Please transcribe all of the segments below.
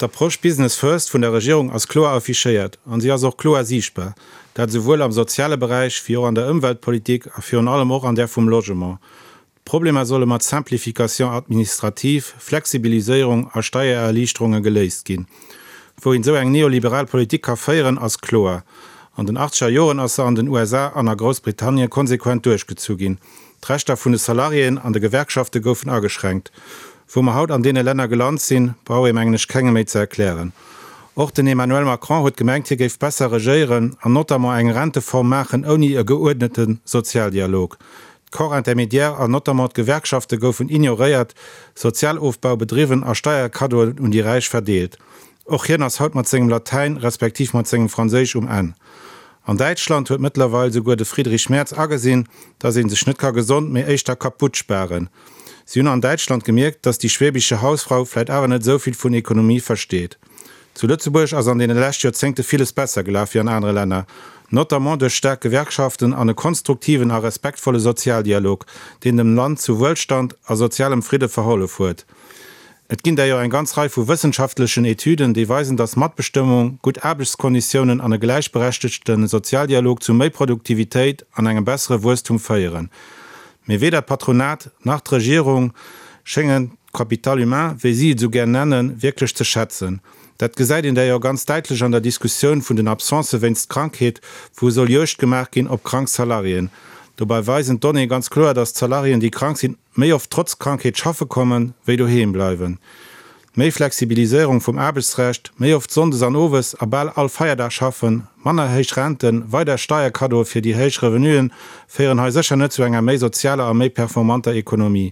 D'Approche Business First vun der Regierung ass kloer affichéiert an si ass och kloer siichtbar, dat esouwuel am soziale Beräich wéi och an der Ëmweltpolitik a virun allem och an där vum Logement. D'Problemer solle mat Simplification administrative, Flexibiliséierung a Steiererliichterunge geléist ginn. Wou een esou eng neoliberal Politik ka féieren, ass kloer. An den achtzeger Joren ass se an den USA an a Groussbritannien konsequent duerchgezu ginn. D'Rechter vun de Salariéen an de Gewerkschafte goufen ageschränkt. Wou mer haut an deene Länner gelant sinn, brauch ee mengen ech kengem méi ze erklären. Och den Emmanuel Macron huet gemengt, hie géif besser regéieren an notamment eng Renteform maachen ouni e geuerdnete Sozialdialog. D'Corps intermédiaires an notamment d'Gewerkschafte goufen ignoréiert, Sozialofbau bedriwwen a Steierkaddoen un déi Räich verdeelt. Och hien ass haut mat sengem Latäin, respektiv mat sengem Franséisch um Enn. An Däitschland huet mëttlerweil souguer de Friedrich Merz agesinn, dass ee sech net ka gesond, mee éischter kaputt sparen. Si hunn an Däitschland gemierkt, dass die schwäbische Hausfrau vläit awer net esou vill vun Ekonomie versteet. Zu Lëtzebuerg ass an deene lescht Joerzéngte villes besser gelaf wéi an anere Länner, notamment duerch staark Gewerkschaften an e konstruktiven a respektvolle Sozialdialog, deen dem Land zu Wuelstand a sozialem Fridde verhollef huet. Et ginn där jo eng ganz Rei vu wëssenschaftlechen Etüden, déi weisen, dass Matbestëmmung, gutt Aarbechtskonditiounen an e gläichberechtegte Sozialdialog zu méi Produktivitéit an engem bessere Wuesstum féieren. Mee weder d'Patronat nach d'Regierung schéngen d'Capital humain, wéi si et esou gär nennen, wierklech ze schätzen. Dat gesäit een d'ailleurs ganz däitlech an der Diskussioun vun den Absencë wéinst Krankheet, wou soll Juegd gemaach ginn op krank Salariéen. Dobei weisen d'Donnéeë ganz kloer, dass d'Salariéen, déi krank sinn, méi oft trotz Krankheet schaffe kommen, wéi doheem bleiwen. Méi Flexibiliséierung vum Aarbechtsrecht, méi oft sonndes an owes a bal all Feierdag schaffen, manner héich Renten, weider Steierkaddoe fir déi héich Revenuen féieren hei sécher net zu enger méi sozialer a méi performanter Ekonomie.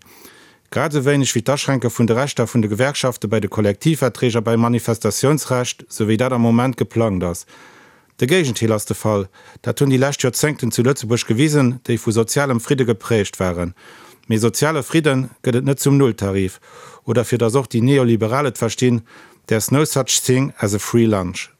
Grad esou wéineg wéi d'Aschränke vun de Rechter vun de Gewerkschafte bei de Kollektivverträg a beim Manifestatiounsrecht, sou wéi dat am Moment geplangt ass. De Géigenteil ass de Fall. Dat hunn déi lescht Joerzéngten zu Lëtzebuerg gewisen, déi vu sozialem Fridde geprägt waren. Mee soziale Fridde gëtt et net zum Nulltarif. Oder fir datt och déi Neoliberal et verstinn, There's no such thing as a free lunch.